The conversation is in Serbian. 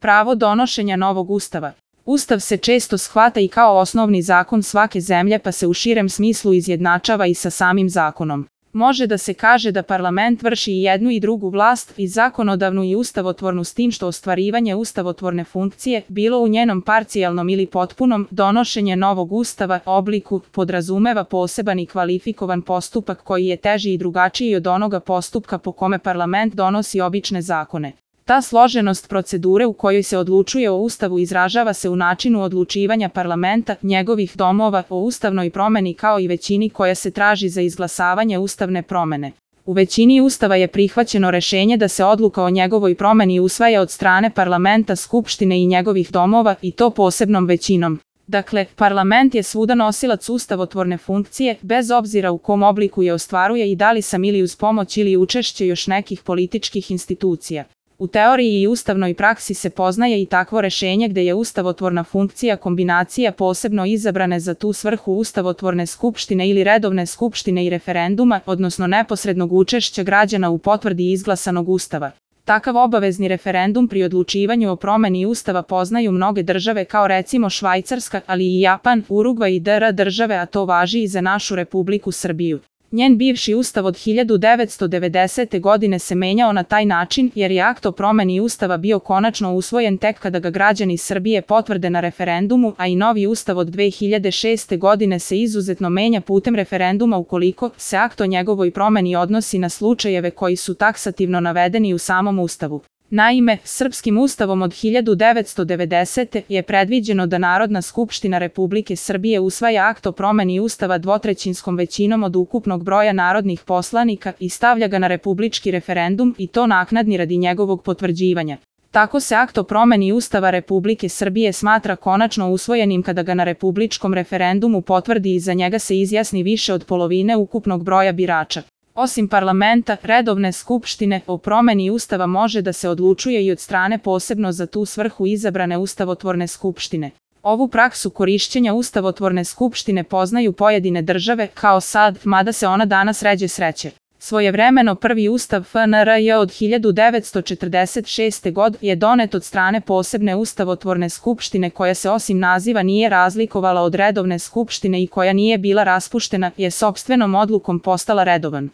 Pravo donošenja novog ustava. Ustav se često shvata i kao osnovni zakon svake zemlje pa se u širem smislu izjednačava i sa samim zakonom. Može da se kaže da parlament vrši i jednu i drugu vlast, i zakonodavnu i ustavotvornu, s tim što ostvarivanje ustavotvorne funkcije, bilo u njenom parcijalnom ili potpunom donošenje novog ustava obliku, podrazumeva poseban i kvalifikovan postupak koji je teži i drugačiji od onoga postupka po kome parlament donosi obične zakone. Ta složenost procedure u kojoj se odlučuje o ustavu izražava se u načinu odlučivanja parlamenta, njegovih domova, o ustavnoj promeni kao i većini koja se traži za izglasavanje ustavne promene. U većini ustava je prihvaćeno rešenje da se odluka o njegovoj promeni usvaja od strane parlamenta, skupštine i njegovih domova, i to posebnom većinom. Dakle, parlament je svuda nosilac ustavotvorne funkcije, bez obzira u kom obliku je ostvaruje i da li sam ili uz pomoć ili učešće još nekih političkih institucija. U teoriji i ustavnoj praksi se poznaje i takvo rešenje gde je ustavotvorna funkcija kombinacija posebno izabrane za tu svrhu ustavotvorne skupštine ili redovne skupštine i referenduma, odnosno neposrednog učešća građana u potvrdi izglasanog ustava. Takav obavezni referendum pri odlučivanju o promeni ustava poznaju mnoge države kao recimo Švajcarska, ali i Japan, Urugvaj i DR države, a to važi i za našu Republiku Srbiju. Njen bivši ustav od 1990. godine se menjao na taj način jer je akt o promeni ustava bio konačno usvojen tek kada ga građani Srbije potvrde na referendumu, a i novi ustav od 2006. godine se izuzetno menja putem referenduma ukoliko se akt o njegovoj promeni odnosi na slučajeve koji su taksativno navedeni u samom ustavu. Naime, srpskim ustavom od 1990. je predviđeno da Narodna skupština Republike Srbije usvaja akt o promeni ustava dvotrećinskom većinom od ukupnog broja narodnih poslanika i stavlja ga na republički referendum, i to naknadni radi njegovog potvrđivanja. Tako se akt o promeni Ustava Republike Srbije smatra konačno usvojenim kada ga na republičkom referendumu potvrdi i za njega se izjasni više od polovine ukupnog broja birača. Osim parlamenta, redovne skupštine, o promeni ustava može da se odlučuje i od strane posebno za tu svrhu izabrane ustavotvorne skupštine. Ovu praksu korišćenja ustavotvorne skupštine poznaju pojedine države, kao SAD, mada se ona danas ređe sreće. Svojevremeno prvi ustav FNRJ od 1946. godine je donet od strane posebne ustavotvorne skupštine koja se osim naziva nije razlikovala od redovne skupštine i koja nije bila raspuštena, je sopstvenom odlukom postala redovan.